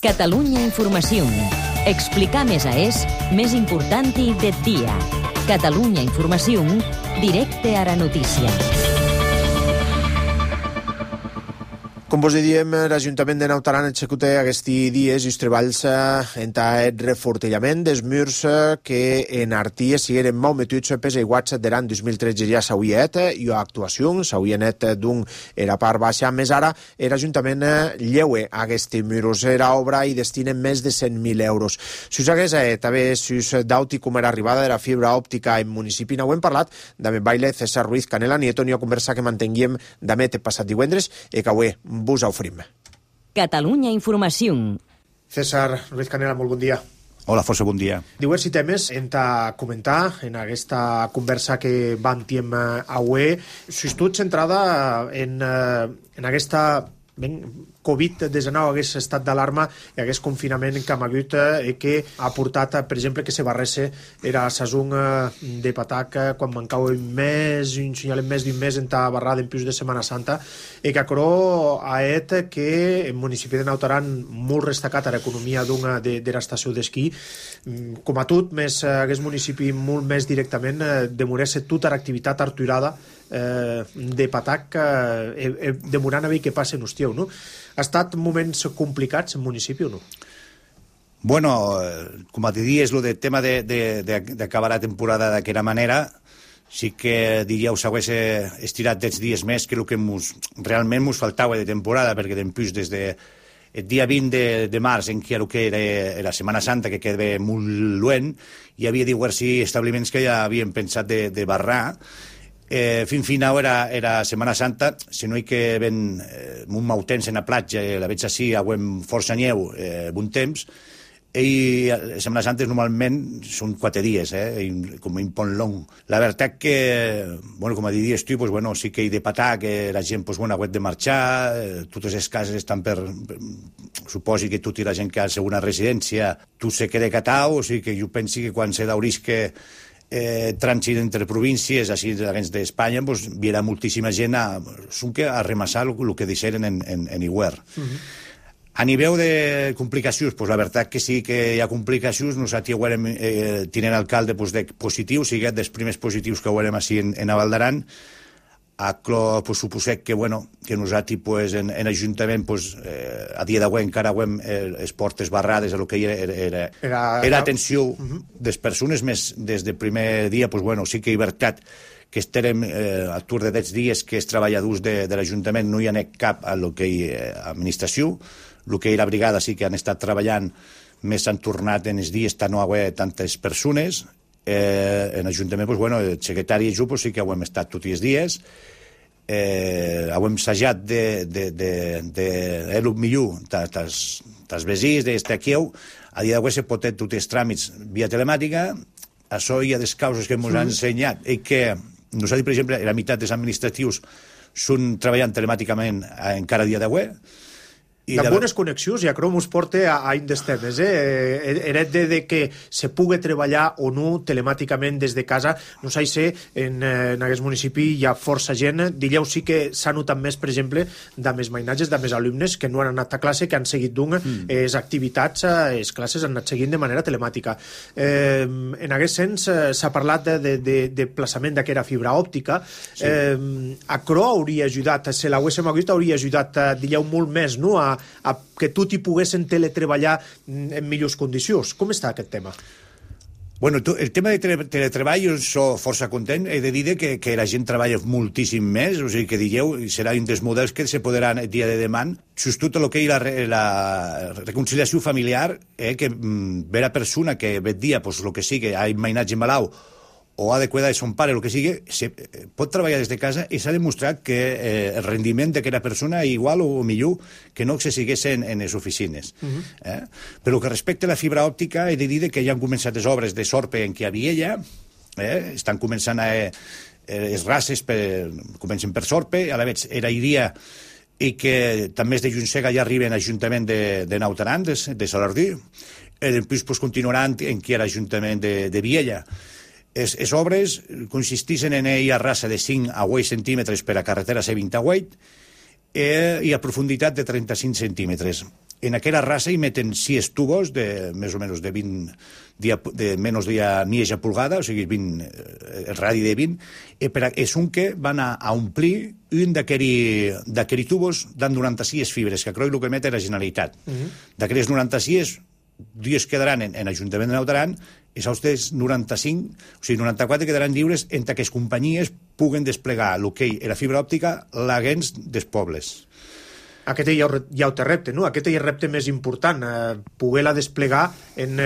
Catalunya Informació. Explicar més més importante del dia. Catalunya Informació, directe a la notícia. Com vos diem, l'Ajuntament de Naut Aran executa aquests dies els treballs en el refortillament dels murs que en Arties sigueren molt metuts pels aiguats de l'any 2013 ja s'hauria i actuació, s'hauria net d'un era part baixa, més ara l'Ajuntament lleue aquests murs. Era obra i destinen més de 100.000 euros. Si us hagués també si us dauti com era arribada de la fibra òptica en municipi, no ho hem parlat, també baile César Ruiz Canela Nieto, ni a conversa que mantenguem també passat divendres i que avui vos oferim. Catalunya Informació. César Ruiz Canela, molt bon dia. Hola, força bon dia. Diversos temes hem de comentar en aquesta conversa que vam tenir avui. S'està centrada en aquesta Covid-19, hagués estat d'alarma i hagués confinament que hem hagut que ha portat, per exemple, que se barresse era sazón de patac quan mancava un mes, un senyalem més d'un mes en ta barrada en plus de Setmana Santa i que acrò ha et que el municipi de Naut Aran molt destacat a l'economia de l'estació d'esquí. Com a tot, més hagués municipi molt més directament demorés tota l'activitat arturada de patac demorant a veure què passa en Hostieu, no? Ha estat moments complicats en municipi o no? Bueno, com a diries, el tema d'acabar la temporada d'aquella manera, sí que diríeu s'hagués estirat dels dies més que el que realment ens faltava de temporada, perquè després des de el dia 20 de març, en què era la Setmana Santa, que quedava molt lluent, hi havia diversos establiments que ja havien pensat de barrar. Fin final era Setmana Santa, si no hi que ven un mau temps en la platja, la veig així, aguem força nyeu, bon temps, i Setmana Santa normalment són 4 dies, com un pont long. La veritat que, com a diries tu, sí que hi de patar, que la gent ha hagut de marxar, totes les cases estan suposi que tota la gent que ha segona residència, tu se queda catau, o sigui que jo penso que quan se daurís que trànsit entre províncies així d'Espanya, hi ha moltíssima gent a remassar el que deixaren en Iguer. A nivell de complicacions, la veritat que sí que hi ha complicacions. Nosaltres tinent alcalde de positius, sigui dels primers positius que veurem així en Val d'Aran. Suposem que nosaltres en l'Ajuntament a dia d'avui encara hem les portes barrades a el que era atenció de les persones, més des del primer dia sí que hi veritat que estarem al tour de 10 dies que els treballadors de l'Ajuntament no hi ha anat cap a lo que hi administració, el que hi la brigada sí que han estat treballant, més han tornat en els dies tant no hi ha tantes persones. En l'Ajuntament, el secretari i jo sí que ho hem estat tots els dies, ho hem assajat el millor dels vesins, d'estar aquí. A dia d'avui se pot fer tots els tràmits via telemàtica. Això hi ha des causes que ens han ensenyat i que nosaltres, per exemple, la meitat dels administratius són treballant telemàticament encara a dia d'avui. De bones connexions, i acrò mos porta a un dels temes. Era de que se pugui treballar o no telemàticament des de casa. No sé, en aquest municipi hi ha força gent. Dilleu sí que s'ha notat més, per exemple, de més mainatges, de més alumnes que no han anat a classe, que han seguit les activitats, les classes han anat seguint de manera telemàtica. En aquest sens s'ha parlat de plaçament d'aquella fibra òptica. Acrò hauria ajudat, si l'haguéssim hagut, hauria ajudat, dilleu, molt més, no?, a que tot hi poguessin teletreballar en millors condicions. Com està aquest tema? El tema de teletreball jo soc força content. He de dir que la gent treballa moltíssim més, o sigui que digueu, serà un dels models que se podran el dia de demà. Tot el que hi la reconciliació familiar, que ve la persona que ve dia, el que sigui, ha mainatge malau, o ha de cuidar de son pare, el que sigui, pot treballar des de casa i s'ha demostrat que el rendiment d'aquella persona és igual o millor que no que se sigués en les oficines. Però que respecte a la fibra òptica, he de dir que ja han començat les obres de sorpe en què hi havia ja, estan començant les races, comencen per sorpe, a la vegada era idea i que també de Juntsega ja arriben a l'Ajuntament de Naut Aran, de Salardí, i després continuaran en què era l'Ajuntament de Viella. Les obres consisteixen en una rasa de 5 a 8 centímetres per a carretera C28 i a profunditat de 35 centímetres. en aquella raça hi meten 6 tubos de més o menys de 20 de menys de mitja pulgada, o sigui, el radi de 20, és un que van a omplir un d'aquells tubos d'en 96 fibres, que crec que emet la Generalitat. D'aquells 96, 2 quedaran en l'Ajuntament de Naut Aran, i els altres 95, o sigui, 94 quedaran lliures entre que les companyies puguen desplegar el que és la fibra òptica l'haguens dels pobles. Aquest ja ho té repte, no? Aquest és el repte més important, poder-la desplegar en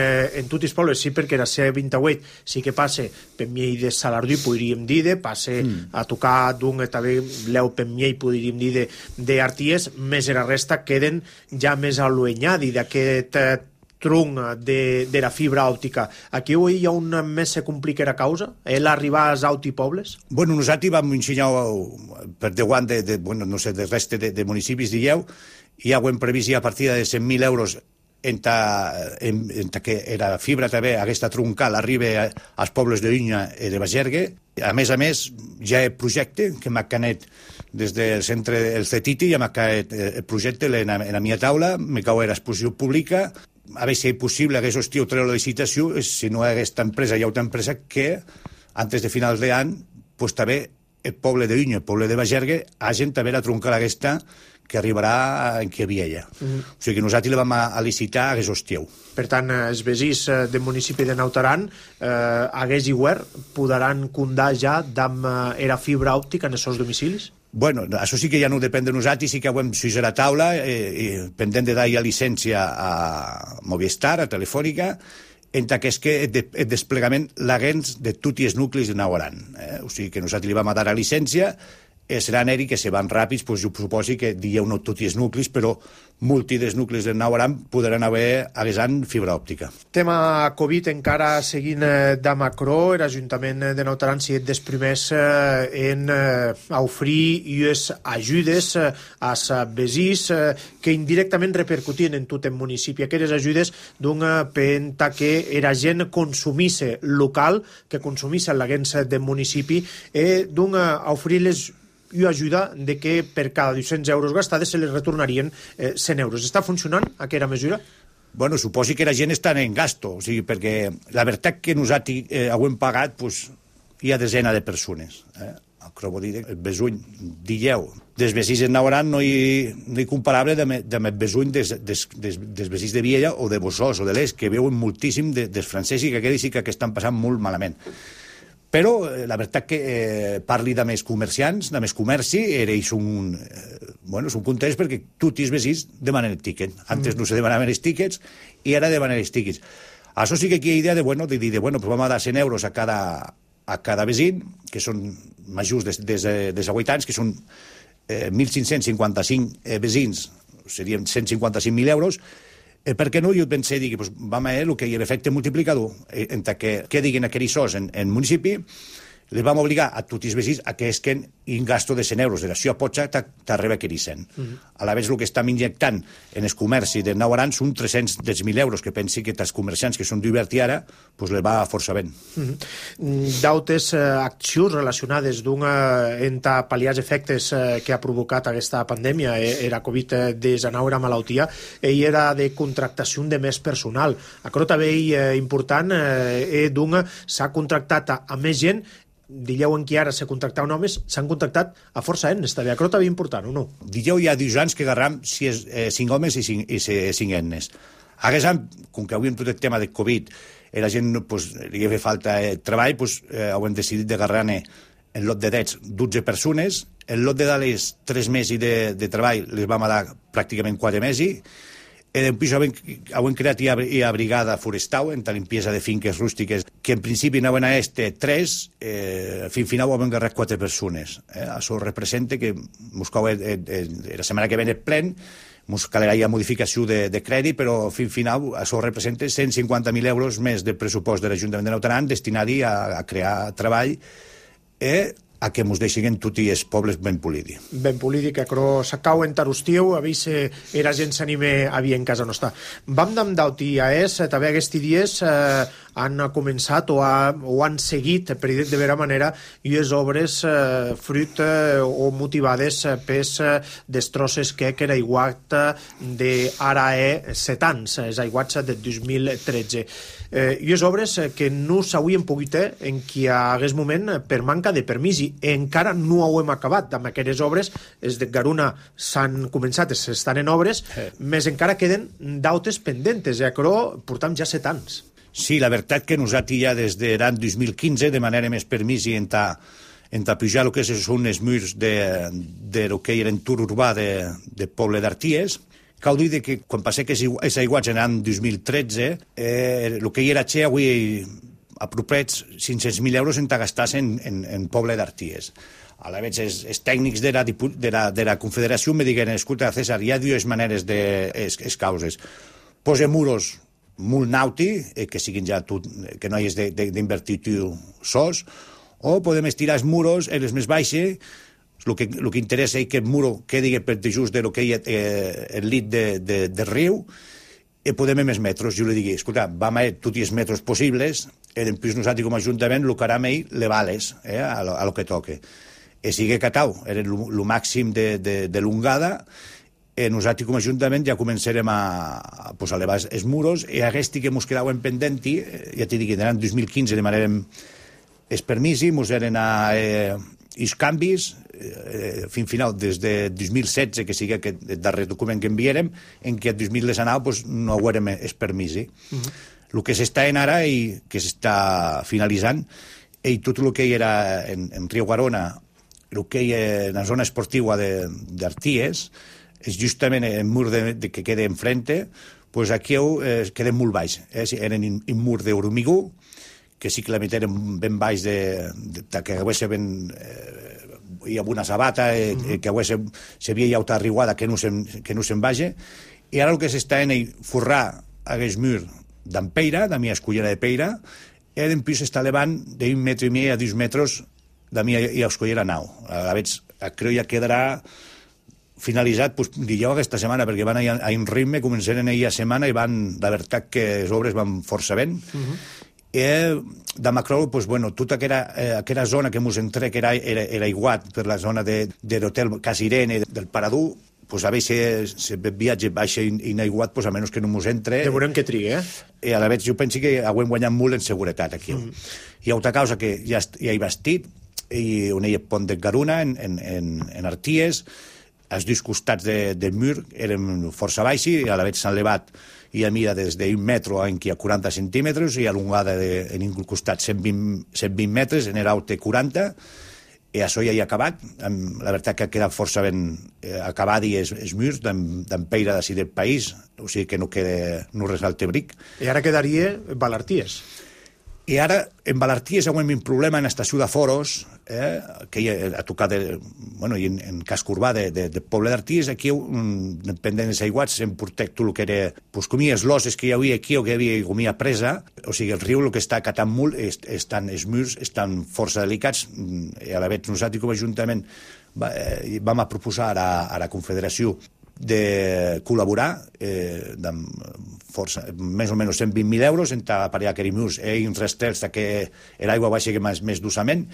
tots els pobles. Sí, perquè la C28 sí que passa per miei de Salardú, podríem dir, passa a tocar d'un, també l'eu per miei, podríem dir, d'Arties, més la resta queden ja més allunyats d'aquest tronc de la fibra òptica. Aquí avui hi ha un més se complica la causa? L'arribar als pobles? Bueno, nosaltres vam ensenyar per deguant no sé, del reste de municipis d'Illeu, i ja ho hem previst a partir de 100.000 euros entre que la fibra també, aquesta troncal, arriba als pobles de Unya i de Bagergue. A més, ja hi ha projecte que m'ha canet des del centre del CETITI, ja m'ha canet el projecte en la meva taula, me cau l'exposició pública, a veure si és possible que això estigui treure la licitació, si no hi ha aquesta empresa, hi ha una empresa que, antes de finals d'any, pues, també el poble de Unya, el poble de Bagergue, hagin també la troncal aquesta que arribarà en que havia ella. O sigui que nosaltres la vam a licitar a aquest estiu. Per tant, els veïns del municipi de Naut Aran, hagués i Guer, podran comptar ja amb la fibra òptica en els seus domicilis? Bueno, això sí que ja no depèn de nosaltres, sí que ho hem suïs a la taula, pendent de dar-hi llicència a Movistar, a Telefònica, entre que és que el desplegament l'haguens de tots els nuclis de Naut Aran. O sigui que nosaltres li vam dar la llicència, seran eri que se van ràpids, doncs jo suposo que dieu no tots els nuclis, però multi dels nuclis de Naut Aran podran haver haguesant fibra òptica. Tema Covid, encara seguint de Macró, l'Ajuntament de Naut Aran s'hi dels primers en oferir unes ajudes als veïns que indirectament repercutien en tot el municipi. Aquelles ajudes per que la gent consumís local, que consumís l'haguens del municipi, oferir-les i ajuda de que per cada 200 euros gastades se les retornarien 100 euros. Està funcionant aquesta mesura? Bueno, suposi que la gent està en gasto, o sigui, perquè la veritat que nosaltres ho hem pagat, pues, hi ha desenes de persones. Crec dir, el besuny d'Illeu dels veïns de Naut Aran no hi comparable amb el besuny dels veïns de Viella o de Bossòs o de l'Est, que veuen moltíssim dels francesos i que aquells sí que estan passant molt malament. Però la veritat que parli de més comerciants, de més comerci, ells són contents perquè tots els veïns demanen el tíquet. Antes no se demanaven els tíquets i ara demanen els tíquets. Això sí que aquí hi ha idea de dir, pues vam a dar 100 euros a cada veí, que són majors de 8 anys, que són 1.555 veïns, serien 155.000 euros. Per què no? Jo pensé, doncs vam a el que hi ha l'efecte multiplicador, entre que diguin aquells sos en municipi, les vam obligar a tots els veïns a que esquen un gasto de 100 euros. De la seva potxa t'arriba aquells 100. A la vegada el que estem injectant en el comerci de Naut Aran són 310.000 euros, que pensi que els comerciants que són d'Obert i ara, doncs les va força bé. D'altres accions relacionades entre pal·liar els efectes que ha provocat aquesta pandèmia, era Covid-19, la malaltia, i era de contractació de més personal. Això també és important, s'ha contractat a més gent. Dilleu en qui ara s'ha contractat homes, s'han contractat a força ennes, també. Això també és important, o no? Dilleu hi ha 2 anys que agarram 5 homes i 5 ennes. Haguessin, com que avui amb tot el tema de Covid la gent li ha fet falta treball, hem decidit d'agarrar-ne en lot de 12 persones. En lot de dades 3 mesos de treball les vam dar pràcticament 4 mesos. Després hem creat una brigada forestal en la limpiesa de finques rústiques, que en principi anaven a 3, fins final hem agarrat 4 persones. Això representa que la setmana que ve el plen ens calerà ja modificació de crèdit, però fins final això representa 150.000 euros més de pressupost de l'Ajuntament de Naut Aran destinat a crear treball a que ens deixin en tots els pobles ben polidi. Ben polidi, que s'acau en Tarustiu, a veure si la gent s'anime a vir en casa nostra. Vam d'am d'auti a també aquests dies han començat o han seguit, per dir de vera manera, i les obres fruit o motivades pels destrosses que era aiguat d'ara 7 anys, els aiguats de 2013. I les obres que no s'havien pogut en qui hagués moment per manca de permís i encara no ho hem acabat amb aquestes obres. Els de Garuna s'han començat, estan en obres, més encara queden dautes pendentes, però portam ja 7 anys. Sí, la veritat que nosaltres ja des de l'any 2015 demanem més permís i en pujar el que són els murs de lo que era entorn urbà de Poble d'Arties. Cal dir que quan passé aquests aiguats en l'any 2013, el que hi era xe avui apropets 500.000 euros en gastar-se en Poble d'Arties. A la vegada, els tècnics de la Confederació me diguen, escolta, César, hi ha dues maneres les causes. Posa muros molt nauti, que siguin ja que no hi has d'invertir tu sos, o podem estirar els muros en les més baixes. El que interessa és que el muro quedi per just de lo que hi ha el lit del riu i podem més metres. Jo li digui, escolta, vam a tots els metres possibles i després nosaltres com a Ajuntament el que harem le vales a lo que toque. I sigui catau, era el màxim de l'ungada i nosaltres com a Ajuntament ja començarem a elevar els muros i aquest que ens quedaven pendenti, ja t'he dit que en 2015 demanarem els permisos, ens eren els canvis, fins final, des de 2016, que sigui aquest darrer document que enviarem, en què el 2019 no haurem els permisos. El que s'està en ara i que s'està finalitzant, i tot el que hi era en Riu Garona, el que hi ha en la zona esportiva d'Arties, és justament el mur que queda enfrente, doncs aquí queda molt baix. Eren un mur d'hormigó, que sí que la meteren ben baix que hagués hi ha una sabata que s'havia llaut arribada que no se'n vagi, i ara el que s'està en forrar aquest mur d'Ampeira, de mi escollera de Peira, i després s'està elevant d'1,5 metres a 2 metres de mi escollera nau. A veure, crec ja quedarà finalitzat, dijous aquesta setmana, perquè van a un ritme, començaren ahir a setmana i la veritat que les obres van força ben. I de Macrou, tota aquella zona que ens entrec era aiguat per la zona de l'hotel Casa Irene, del Paradú, a vegades se viatge baixa i inaiguat, a menys que no ens entre. Ja veurem què triga, I a la vegada jo penso que haurem guanyat molt en seguretat aquí. Hi ha altra causa que ja he vestit, i on hi ha pont de Garuna, en Arties, els dos costats del mur eren força baixos, i a la vegada s'han elevat i a mida des d'un metro a 40 centímetres i a l'ungada en un costat 120 metres, en l'alt 40, i això ja hi ha acabat. La veritat que ha quedat força ben acabat i els murs d'Ampeira d'ací del país, o sigui que no resalte bric. I ara quedaria Valarties. I ara, en Valarties, hi ha un problema en l'estació de Foros, que ha tocat, en casc urbà de Poble d'Arties, aquí, pendent dels aiguats, hem portat tot el que era, com les loses que hi havia aquí o que hi havia comia presa, o sigui, el riu el que està acatant molt, els murs estan força delicats, i a la vegada nosaltres com a Ajuntament vam a proposar a la Confederació de col·laborar més o menys 120.000 euros en aparellar aquells murs i uns restels que l'aigua baixa més dosament.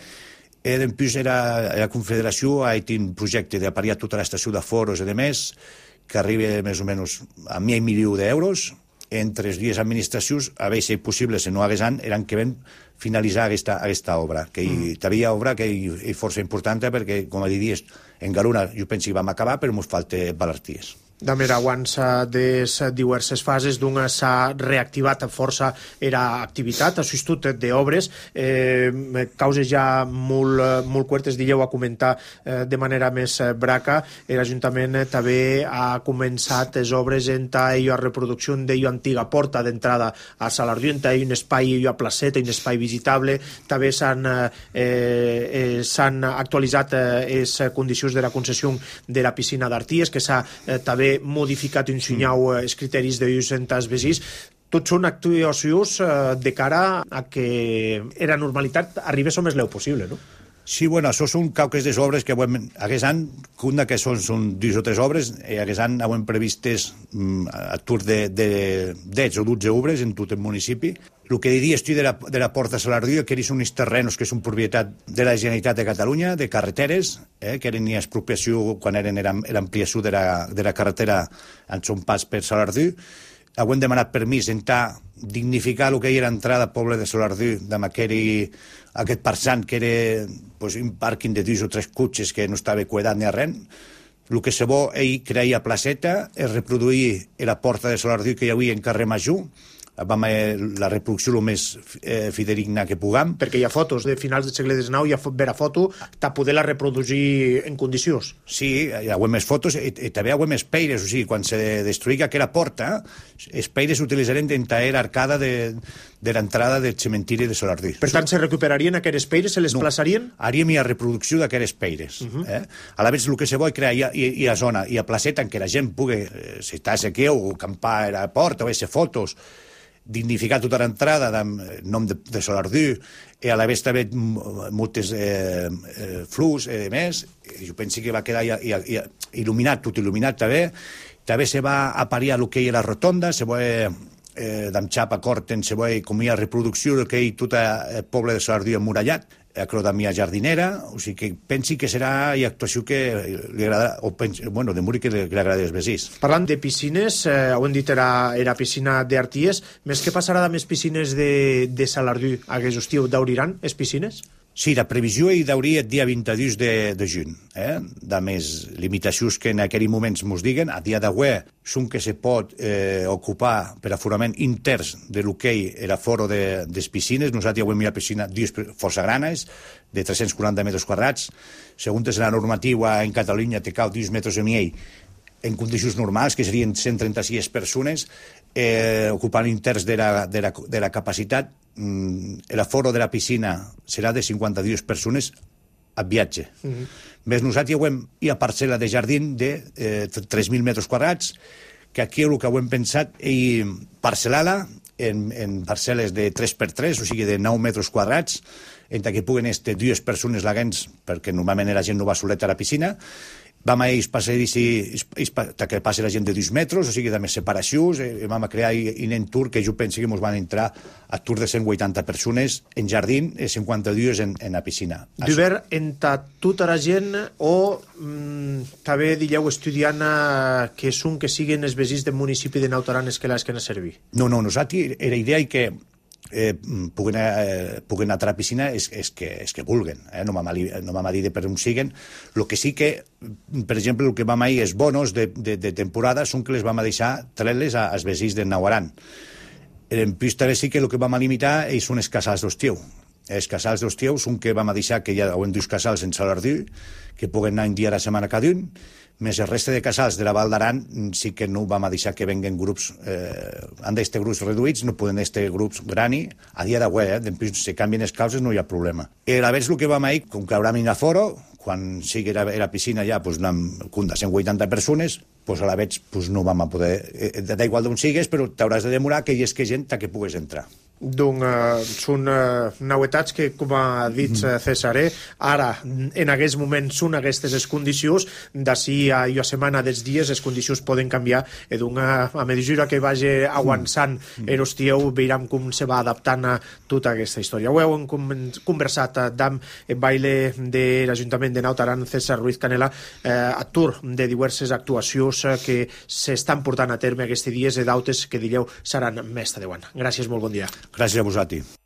Després la Confederació ha fet un projecte d'aparellar tota l'estació de Foros i de més, que arriba més o menys a 1 milió d'euros. Entre les dues administracions, a veure si és possible, si no hagués any, eren que vam finalitzar aquesta obra, que hi havia obra que és força important perquè, com a diries, en Garuna jo penso que vam acabar, però ens falta Valarties. També abans de diverses fases d'una s'ha reactivat força era activitat, assistit d'obres, causes ja molt curtes, dieu a comentar de manera més braca. L'Ajuntament també ha començat les obres en la reproducció d'ella antiga porta d'entrada a Salardió, en un espai a placeta, un espai visitable. També s'han actualitzat les condicions de la concessió de la piscina d'Arties, que s'ha també modificat un sinyau els criteris d'ús en els veïns. Tots són actuacions de cara a que la normalitat arribés el més leu possible, no? Sí, bueno, això són cauques de obres que aquest any, una que són 2 o 3 obres, i aquest any hem previstes a tour de 10 o 12 obres en tot el municipi. El que diria estic de la Porta Salardú, que són uns terrenos que són propietat de la Generalitat de Catalunya, de carreteres, que eren expropiació quan eren l'ampliació de la carretera en son pas per Salardú. Hem demanat permís d'entrar dignificar el que era l'entrada al poble de Salardú, amb aquest parsant que era un pàrquing de 2 o 3 cotxes que no estava cuidat ni a res. El que se vol, ell creia placeta, és reproduir la porta de Salardú que hi havia en carrer Major, la reproducció el més fidedigna que puguem. Perquè hi ha fotos de finals del segle XIX, hi ha vera foto, de poder-la reproduir en condicions. Sí, hi ha més fotos i també hi ha més peires, o sigui, quan se destruïga aquella porta, els peires s'utilitzaren d'entrar l'arcada de l'entrada del cementiri de Salardú. Per tant, se recuperarien aquelles peires, se les plaçarien? Haríem la reproducció d'aquelles peires. A la vegada, el que se vol crear hi ha zona, hi ha placeta en què la gent pugui, si està aquí o acampar a la porta o fer fotos, dignificar tota l'entrada amb el nom de Salardú i a la vegada també moltes flux i més. Jo penso que va quedar il·luminat, tot il·luminat també. També se va apariar el que hi ha la rotonda, se va d'en xapa corten, se va com hi ha reproducció del que hi ha tot el poble de Salardú emmurallat, acrodamia jardinera, o sigui que pensi que serà una actuació que li agradarà, o de morir que li agrada als veïns. Parlant de piscines, ho hem dit, era piscina d'Arties, més què passarà amb les piscines de Salardú aquest estiu? D'obriran les piscines? Sí, la previsió hi hauria el dia 22 de juny. De més limitacions que en aquell moment ens diguen, a dia d'avui són que se pot ocupar per aforament interns de l'hoquei i l'aforo de les piscines. Nosaltres avui hi ha piscina força granes, de 340 metres quadrats. Segons la normativa en Catalunya, te cal 2 metres i mig en condicions normals, que serien 136 persones, ocupant interns de la capacitat. L'aforo de la piscina serà de 52 persones a viatge. Més nosaltres hi ha parcel·la de jardí de 3.000 metres quadrats, que aquí el que hem pensat és parcel·lar-la en parcel·les de 3x3, o sigui de 9 metres quadrats, entre que puguen estar 2 persones lagants, perquè normalment la gent no va soleta a la piscina. Vam a ells que passi la gent de 2 metres, o sigui, de més separacions, i vam a crear un entorn que jo penso que ens van entrar a tour de 180 persones en jardí i 52 en la piscina. D'obert entre tota la gent o també dieu estudiant que són que siguin els veïns del municipi de Naut Aran que les que han de servir? No, nosaltres era idea que puguen anar a la piscina és que vulguen, no m'ha dit per on siguen. El que sí que, per exemple, el que vam a dir els bonos de temporada són que les vam a deixar treure-les als veïns de Naut Aran. En plus també sí que el que vam a limitar són els casals d'estiu. Els casals d'estiu són que vam a deixar que hi ha 2 casals en Salardú que puguen anar un dia a la setmana cada un, més el reste de casals de la Val d'Aran sí que no vam a deixar que venguen grups, han d'estar grups reduïts, no poden estar grups grani, a dia d'avui, després si canvien les causes no hi ha problema. I a la vegada el que vam a dir, com que haurà un aforo, quan sigui la piscina ja amb 180 persones, a la vegada no vam a poder, da igual d'on sigues, però t'hauràs de demorar que hi hagi gent que puguis entrar. Doncs són novetats que, com ha dit César, ara, en aquest moment, són aquestes les condicions. D'ací a una setmana dels dies, les condicions poden canviar. A mesura que vagi avançant l'estiu, veurem com se va adaptant a tota aquesta història. Ho hem conversat amb el baile de l'Ajuntament de Naut Aran, César Ruiz Canela, actor de diverses actuacions que s'estan portant a terme aquests dies i d'altres que direu seran més de 10 anys. Gràcies, molt bon dia. Gràcies a vosaltres.